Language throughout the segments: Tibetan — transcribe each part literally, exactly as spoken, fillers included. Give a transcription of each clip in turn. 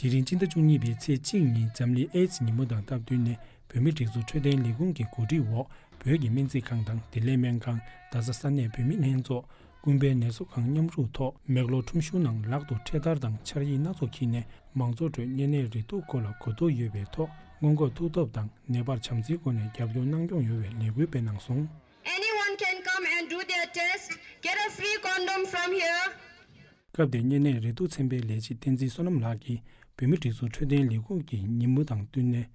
དེ་རིང་སྤྱི་ཟླ་བཅུ་གཉིས་པའི་ཚེས་གཅིག་ཉིན་འཛམ་གླིང་ཨེ་ཛི་ཉིན་མོ་དང་སྟབས་བསྟུན་ནས། བོད་མིའི་སྒྲིག་འཛུགས་འཕྲོད་བསྟེན་ལས་ཁུངས་ཀྱི་གོ་སྒྲིག་འོག་བོད་ཀྱི་སྨན་རྩིས་ཁང་དང་བདེ་ལེགས་སྨན་ཁང་། རྡ་ས་ས་གནས་བོད་མིའི་ལྷན་ཚོགས། ཀུན་ཕན་ནད་གསོ་ཁང་མཉམ་རུབ་ཐོག་མེག་ལོར་ཁྲོམ་གཞུང་ནང་ལག་ཏུ་འཕྲེད་དར་དང་ཕྱག་ཡིག་སྣ་ཚོགས་འཁྱེར་ནས། མང་ཚོགས་ཁྲོད་གཉན་ནད་རེག་དུག་སྐོར་ལ་གོ་རྟོགས་ཡོད་པའི་ཐོག་སྔོན་འགོག་ཐུབ་ཐབས་དང་། ནད་པར་བྱམས་བརྩེའི་སྒོ་ནས་རྒྱབ་སྐྱོར་གནང་སྐྱོང་ཡོང་བའི་ལས་འགུལ་སྤེལ་གནང་སོང་། Anyone can come and do their test, get a free condom from here. སྐབས་དེར་གཉན་ནད་རེག་དུག་ཚན་པའི་ལས་བྱེད་བསྟན་འཛིན་བསོད་ནམས་ལགས་ཀྱིས། བོད་མིའི་སྒྲིག་འཛུགས་འཕྲོད་བསྟེན་ལས་ཁུངས་ཀྱི་ཉིན་མོ་དང་བསྟུན་ནས་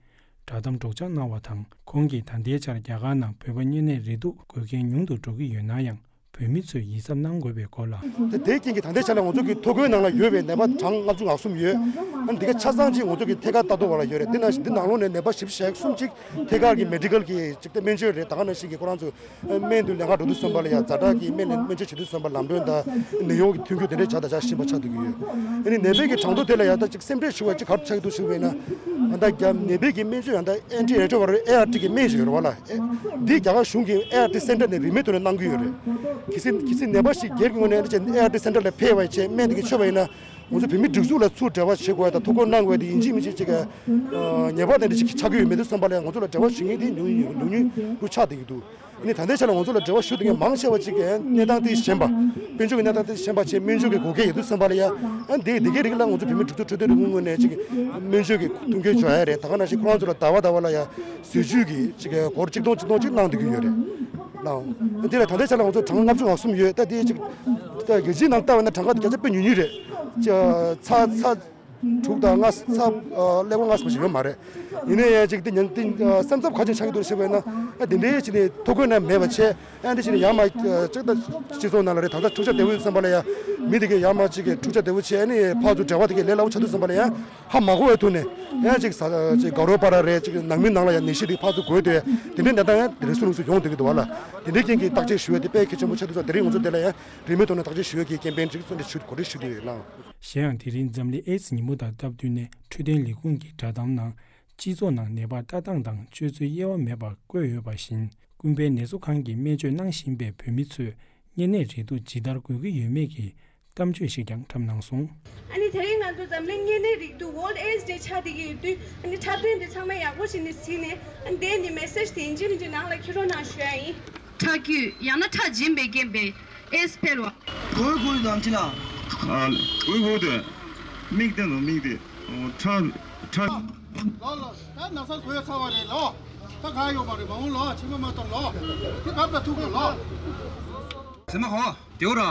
བསྒྲགས་གཏམ་སྒྲོག་སྦྱང་གནང་བ་དང་། ཁོང་གིས་ད་ལྟའི་ཆར་རྒྱ་གར་ནང་བོད་པ་གཉན་ནད་རེག་དུག་འགོས་མཁན་ཉུང་དུ་འགྲོ་གི་ཡོད་ན་ཡང་། བོད་མི་ཚོས་ཡིད་གཟབ་གནང་དགོས་པའི་སྐོར་ལ། དེ་དེའི་རྐྱེན་གྱིས་ད་ལྟའི་ཆ་ལ་ང་ཚོ་གི་ཐོ་འགོད་ནང་ལ་ཡོད་པའི་ནད་པ་གྲངས་ལྔ་བཅུ་ང་གསུམ་ཡོད། ཨ་ནི་འདི་ག་ཆ་ཚང་ཅིག་ང་ཚོ་གི་ཐད་ཀར་ལྟ་རྟོག་པ་ལ་ཡོད་རེད། དེ་ནང་བཞིན་འདི་ནང་ལོགས་ནས་ནད་པ་བཞི་བཅུ་ཞེ་གསུམ་ཅིག་ཐད་ཀར་གྱི་མེ་ཌི་ཀལ་གྱི་ཅིག་དེ་སྨན་བཅོས་རེད། ད་ག་ནང་བཞིན་གྱི་ཁོ་རང་ཚོ་སྨན་དུ་ལེན་ག་འགྲོ་དུས་ཙམ་པ་ལ་ཡང་ཛ་དྲག་གི་སྨན་ལེན་སྨན་བཅོས་བྱེད་དུས་ཙམ་པ་ལམ་གྲོན་དང་ནད་གཡོག་གི་མཐུན་འགྱུར་དེ་འདྲའི་བྱ་དང་བྱ་བཞིན་པ་ཆགས་བསྡད་ཀྱི་ཡོད། ཨ་ནི་ནད་པའི་གི་གྲངས་ཐོ་དེ་ལ་ཡང་ད་ཅིག་སེམས་ཁྲལ་ཞུ་བ་ཅིག་ག་རེ་ཆགས་ཀྱི་འདུག་ཞུ་བས་ན། ད་རྒྱ་ནད་པའི་གི་སྨན་བཅོས་ཡང་ད་ཨེན་ཊི་རེ་ཊོ་ཝི་རལ་ཨེ་ཨར་ཊི་གི་སྨན་ཞིག་ཡོད་རེད་བ་ལ། ཨེ་འདི་རྒྱ་གར་གཞུང་གི་ཨེ་ཨར་ཊི་སེན་ཊར་ནས་རིན་མེད་ཐོག་ནས་གནང་གི་ཡོད་རེད། གལ་སྲིད་གལ་སྲིད་ནད་པ་ཞིག་སྒེར་གྱི་ངོས་ནས་ཨེ་ཨར་ཊི་སེན་ཊར་ལ་ཕེབས་པ་བྱས་སྨན་དེ་གི་མཆོད་པ་ཡིན་ན། ང་ཚོ་བོད་མིའི་སྒྲིག་འཛུགས་ལ་ཚུར་འབྲེལ་བ་བྱེད་དགོས་ཡ་དང་ཐོ་འགོད་གནང་དགོས་ཡ་དེ་ཡིན་གཅིག་མིན་གཅིག་ཅིག་གི་ཉེས་པ་དེ་འདྲ་ཞིག་ཆགས་ཀྱི་ཡོད་མེད་དུས་ཙམ་པ་ལ་ང་ཚོ་ལ་འབྲེལ་བ་ཞུ་མཁན་དེ་ཉུང་ཉུང་ཉུང་ཉུང་རུ་ཆགས་བསྡད་ཀྱི་འདུག་ཨ་ནི་ད་ལྟའི་ཆ་ལ་ང་ཚོ་ལ་འབྲེལ་བ་ཞུ་བསྡད་མཁན་མང་ཆེ་བ་ཅིག་གིས་གནས་སྟངས་དེ་ཞན་པ། དཔལ་འབྱོར་གྱི་གནས་སྟངས་དེ་ཞན་པ་བྱས་སྨན་བཅོས་ཀྱི་དགོས་གལ་ཡོད་དུས་ཙམ་པ་ལ་ཡ། ཨ་འདི་འདི་གའི་རིགས་ལ་ང་ཚོ་བོད་མིའི་སྒྲིག་འཛུགས་འཕྲོད་བསྟེན་ལས་ཁུངས་ངོས་ནས་ཅིག་སྨན་བཅོས་ཀྱི་མཐུན་རྐྱེན་སྦྱོར་ཡ་རེད། ད་ག་ནང་བཞིན་ཁོ་རང་ཚོ་ལ་ཟླ་བ་ཟླ་བ་ལ་ཡ་ཟས་བཅུད་ཀྱི་ཅིག་སྒོར་གཅིག་སྟོང་གཅིག་སྟོང་ཅིག་གནང་བསྡད་ཀྱི་ཡོད་རེད། ལའོ། འདི་ལ་ད་ལྟའི་ཆ་ལ་ང་ཚོ་གྲངས་ལྔ་བཅུ་ང་གསུམ་ཡོད། ད་དེ་ཅིག་ད་རྒྱལ་སྤྱིའི་ནང་ལྟ་བ་ན་གྲངས་ཀ་དེ་བརྒྱ་ཆ་དཔེ་ཉུང་ཉུང་རེད། ཅ་ཚ་ཚ་དྲུག་དང་ལྔ་ཚ་ཀླད་ཀོར་ལྔ་ཙམ་ཞིག་ཡོད་མ་རེད། ཡིན་ན་ཡང་ཅིག་དེ་ཉན་དེ་སེམས་འཚབ་ག་ཅིག་ཆགས་ཀྱི་འདུག་ཞེས་པས་ན། ཨ་དེ་འདྲའི་ཅིག་ནས་ཐོ་འགོད་ན་མེད་པ་བྱས། ཨ་འདི་ཅིག་ནས་ཡར་མར་ཅིག་ད་སྤྱི་ཚོགས་ནང་ལ་རེད། ད་ལྟ་འཁྲུག་ཆ་དེ་བོ་ཡོད་བསམ་པ་ལ་ཡང་མི་དེ་གས་ཡར་མར་ཅིག་གིས་འཁྲུག་ཆ་དེ་བོ་བྱས་ནས་ཕར་ཚུར་འབྲེལ་བ་དེ་གས་ལས་སླ་བོ་ཆགས་འདུག་བསམ་པ་ལ་ཡང་། ཧ་མ་གོ་བའི་ཐོག་ནས་ཡང་ཅིག་ས་ཅིག་དགའ་རོགས་པ་ར་རེད། ཅིག་ནང་མི་ནང་ལ་ཡང་ནད་གཞི་དེ་ཕར་ཚུར་འགོས་ཏེ་དེ་འདྲའི་གནས་སྟངས་ཡང་དེ་རིང་སུ་ལུགས་སུ་ཡོང་བསྡད་ཀྱི་འདུག་བ་ལ། དེ་འདྲའི་རྐྱེན་གྱིས་བརྟག་དཔྱད་ཞུ་བ་དེ་དཔེ་གལ་ཆེན་པོ་ཆགས་འདུག་ས། དེ་རིང་ང་ཚོ་དེ་ལ་ཡང་རིན་མེད་ཐོག་ནས་བརྟག་དཔྱད་ཞུ་བའི་གི་ཀེམ་པེན་ཅིག་གཙོ་འདྲེན་ཞུ་གོ་སྒྲིག་ཞུ་བསྡད་ཡོད་ལགས། གཞན་ཡང་དེ་རིང་འཛམ་གླིང་ཨེ་ཛི་ཉིན་མོ་དང་སྟབས་བསྟུན་ནས་འཕྲོད་བསྟེན་ལས་ཁུངས་ཀྱི་བསྒྲགས་གཏམ་ནང་། སྤྱི་ཚོགས་ནང་ནད་པར་ལྟ་སྟངས་དང་སྤྱོད་ཚུལ་དབྱེ་བ་མེད་པར་བཀོད་ཡོད་པ་བཞིན། ཀུན་ཕན་ནད་གསོ་ཁང་གི་སྨན་བཅོས་གནང་བཞིན་པའི་བོད་མི་ཚོས་གཉན་ནད་རེག་དུག་ཇི་ལྟར་འགོས་ཀྱི་ཡོད་མེད་ཀྱི་གཏམ་བརྗོད་ཞིག་ཀྱང་བཀྲམ་གནང་སོང་། ཨ་ནི་དེ་རིང་ང་ཚོ་འཛམ་གླིང་གཉན་ནད་རེག་དུག་World AIDS Day ཆགས་བསྡད་ཀྱི་ཡོད་དུས། ཨ་ནི་འཁྲབ་སྟོན་འདི་ཚང་མ་ཡག་པོ་ཞིག་ནས་གཟིགས་ནས། ཨ་ནི་དེ་ནི་མེ་སེ་ཇི་དེ་ཡིན་གཅིག་མིན་གཅིག་ནང་ལ་འཁྱེར་རོགས་གནང་ཞུ་ཡ་ཡིན། ཁྲག་རྒྱུད་ཡང་ན་ཁྲག་རྗེན་པའི་རྐྱེན་པས་ཨེ་ཛི་འཕེལ་བ། གོས་གོས་དང་ཅི་ལ། ཨ་གོས་གོས་དེ། མིག་དེ་ནོ་མིག་དེ། ཁྲག་ཁྲག་ལོ་ལོ། ད་ན་ཚ་གོས་ཚ་བ་རེད་ལོ། ད་ག་ཡོད་མ་རེད། མ་འོང་ལོ། ཕྱི་མ་མ་གཏོང་ལོ། དེ་ག་པ་ཐུག་གོ་ལོ། ཟེར་ན་ཧོ། དེའོ་ར།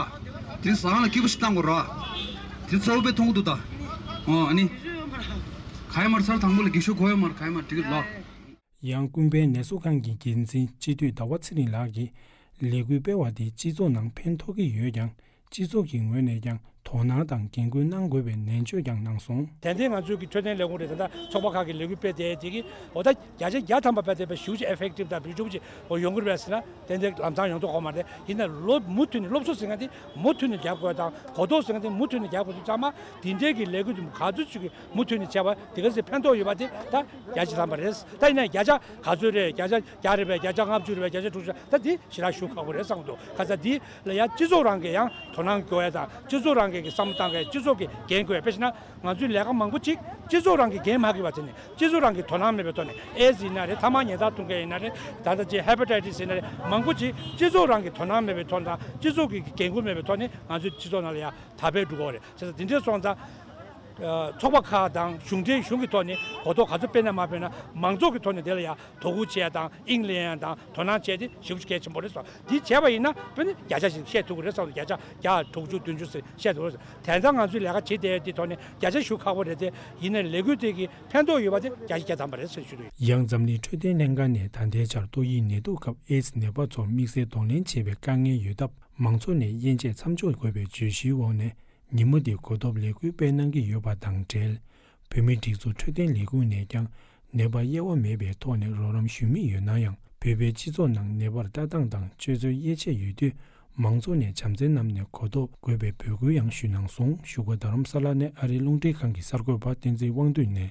དེ་ཟ་ཁང་ལ་སྐྱིད་པོ་ཞིག་བཏང་དགོས་ར། དེ་གཙོ་བོ་དཔེ་མཐོང་གི་འདུག་ད། ཨོ་ཨ་ནི། ག་ཡོད་མ་རེད། ཚར་དང་པོ་ལ་འགྱིག་ཤོག་གོ་ཡོད་མ་རེད། ག་ཡོད་མ་རེད། འགྲིག་གི་ལོ། ཡང་ཀུན་ཕན་ནད་གསོ་ཁང་གི་འགན་འཛིན་སྤྱི་འཐུས་ཟླ་བ་ཚེ་རིང་ལགས་ཀྱིས། ལས་འགུལ་སྤེལ་བ་དེས་སྤྱི་ཚོགས་ནང་ཕན་ཐོགས་ཀྱི་ཡོད་ཀྱང་། སྤྱི་ཚོགས་ཀྱི་ངོས་ནས་ཀྱང་དོ་སྣང་དང་འགན་འཁུར་གནང་དགོས་པའི་ནན་བརྗོད་ཀྱང་གནང་སོང་། ཏན་ཏན་ང་ཚོའི་གི་འཕྲོད་བསྟེན་ལས་ཁུངས་རེད། ད་ལྟ་ཚོགས་པ་ཁག་གི་ལས་འགུལ་སྤེལ་བསྡད་དེ་གི་འོ་ད་བརྒྱ་ཆ་བརྒྱ་ཐམ་པ་སྤེལ་བསྡད་པའི་ཞེ་པོ་ཅིག་ཨེ་ཕེག་ཊིབ་དང་བེད་སྤྱོད་ཅིག་འོ་ཡོང་གི་རེད་པས་ཟེར་ན། ཏན་ཏན་ལམ་སང་ཡོང་ཐུབ་ཀྱི་ཡོད་མ་རེད། ཡིན་ན་སློབ་མུ་མཐུད་ནས་སློབ་གསོ་ཟེར་མཁན་དེ་མུ་མཐུད་ནས་རྒྱབ་དགོས་དང་། གོ་རྟོགས་ཟེར་མཁན་དེ་མུ་མཐུད་ནས་རྒྱབ་དགོས་དུས་ཙང་མ་འདི་འདྲའི་གི་ལས་འགུལ་དེ་ག་ཚོད་ཅིག་གི་མུ་མཐུད་ནས་བྱས་པ་དེ་ག་ཚོད་ཕན་ཐོགས་ཡོད་པ་དེ་ད་བརྒྱ་ཆ་ཐམ་པ་རེད། ད་ཡིན་ན་བརྒྱ་ཆ་ག་ཚོད་རེད། བརྒྱ་ཆ་བརྒྱ་རེད་པས། བརྒྱ་ཆ་ལྔ་བཅུ་རེད་པས། བརྒྱ་ཆ་དྲུག་ཅུ། ད་འདི་ཞེ་དྲག་ཞུ་ཁག་པོ་རེད་བསམ་གྱི་འདུག་ཁ་ས་འདི་ལ་ཡང་སྤྱི་ཚོགས་རང་གིས་ཡང་དོ་སྣང་སྐྱོ་ཡ་དང་། སྤྱི་ཚོགས་རང་གིས་ཀྱི་བསམ་བློ་བཏང་གི། སྤྱི་ཚོགས་ཀྱི་འགན་འཁུར་ཡ། དཔེ་བྱས་ན་ང་ཚོའི་ལས་ཀ་མང་པོ་ཅིག་སྤྱི་ཚོགས་རང་གིས་འགན་མ་འཁུར་བ་དེ་ནི་སྤྱི་ཚོགས་རང་གིས་དོ་སྣང་མེད་པའི་ཐོག་ནས། ཨེ་ཛི་ཡིན་ན་རེད། ཐ་མག་ཉལ་ཐ་འཐུང་མཁན་ཡིན་ན་རེད། ད་ལྟ་ཅིག་ཧེ་པ་ཊའི་ཊི་སི་ཡིན་ན་རེད། མང་པོ་ཅིག་སྤྱི་ཚོགས་རང་གིས་དོ་སྣང་མེད་པའི་ཐོག་དང་། སྤྱི་ཚོགས་ཀྱི་འགན་འཁུར་མེད་པའི་ཐོག་ནས་ང་ཚོའི་སྤྱི་ཚོགས་ནང་ལ་ཡང་དར་འཕེལ་འགྲོ་གི་ཡོད་རེད། བྱས་ཙང་འདི་འདྲས་སོང་ཙང་། ཚོགས་པ་ཁག་དང་གཞུང་འབྲེལ་གཞུང་གི་ཐོག་ནས་གོ་རྟོགས་ག་ཚོད་སྤེལ་ན་མ་སྤེལ་ན། མང་ཚོགས་ཀྱི་ཐོག་ནས་དེ་ལ་ཡང་དོ་ཁུར་བྱེད་ཡ་དང་། དབྱིངས་ལེན་ཡ་དང་དོ་སྣང་བྱས་ཏེ་ཞེ་པོ་ཅིག་གལ་ཆེན་པོ་རེད་བསམ། འདི་བྱས་པ་ཡིན་ན་དཔེ་ནི་བརྒྱ་ཆ་ཞིག་བཤད་ཐུབ་ཀྱི་རེད་བསམ། བརྒྱ་ཆ་བརྒྱ་དྲུག་ཅུ་བདུན་ཅུ་ཟེར་བཤད་ཐུབ་ཀྱི་རེད། དེང་སང་ང་ཚོས་ལས་ཀ་བྱེད་བསྡད་དེ་ཐོག་ནས་བརྒྱ་ཆ་ཞུ་ཁག་པོ་རེད་དེ། ཡིན་ནའི་ལས་འགུལ་དེ་གི་ཕན་ཐོགས་ཡོད་པ་དེ་བརྒྱ་ཆ་བརྒྱ་ཐམ་པ་རེད་ཟེར་ཞུ་གི་ཡོད། ཡང་འཛམ་གླིང་འཕྲོད་བསྟེན་ལྷན་ཁང་ནས་ད་ལྟའི་ཆར་ཏོག་དབྱིབས་ནད་དུག་སྐབས་ཨེ་ཛི་ནད་པ་ཚོར་དམིགས་བསལ་གདོང་ལེན་བྱེད་པའི་དཀའ་ངལ་ཡོད་སྟབས། མང་ཚོགས་ནས་དབྱེ་འབྱེད་མཚམས་འཇོག་དགོས་པའི་བརྗོད་གཞིའི་འོག་ནས། ཉིན་མོ་འདི་གོ་ཐོབ་ལས་འགུལ་སྤེལ་གནང་གི་ཡོད་པ་དང་འབྲེལ། བོད་མིའི་སྒྲིག་འཛུགས་འཕྲོད་བསྟེན་ལས་ཁུངས་ནས་ཀྱང་ནད་པར་དབྱེ་བ་མེད་པའི་ཐོག་ནས་རོགས་རམ་ཞུ་མུས་ཡོད་ན་ཡང་། བོད་པའི་སྤྱི་ཚོགས་ནང་ནད་པར་ལྟ་སྟངས་དང་སྤྱོད་ཚུལ་དབྱེ་ཕྱེ་ཡོད་དུས། མང་ཚོགས་ནས་བྱམས་བརྩེ་བསྣམས་ནས་གོ་རྟོགས་དགོས་པའི་འབོད་སྐུལ་ཡང་ཞུས་གནང་སོང་། བཞུགས་སྒར་རྡ་རམ་ས་ལ་ནས་ཨ་རིའི་རླུང་འཕྲིན་ཁང་གི་གསར་འགོད་པ་བསྟན་འཛིན་དབང་འདུས་ནས།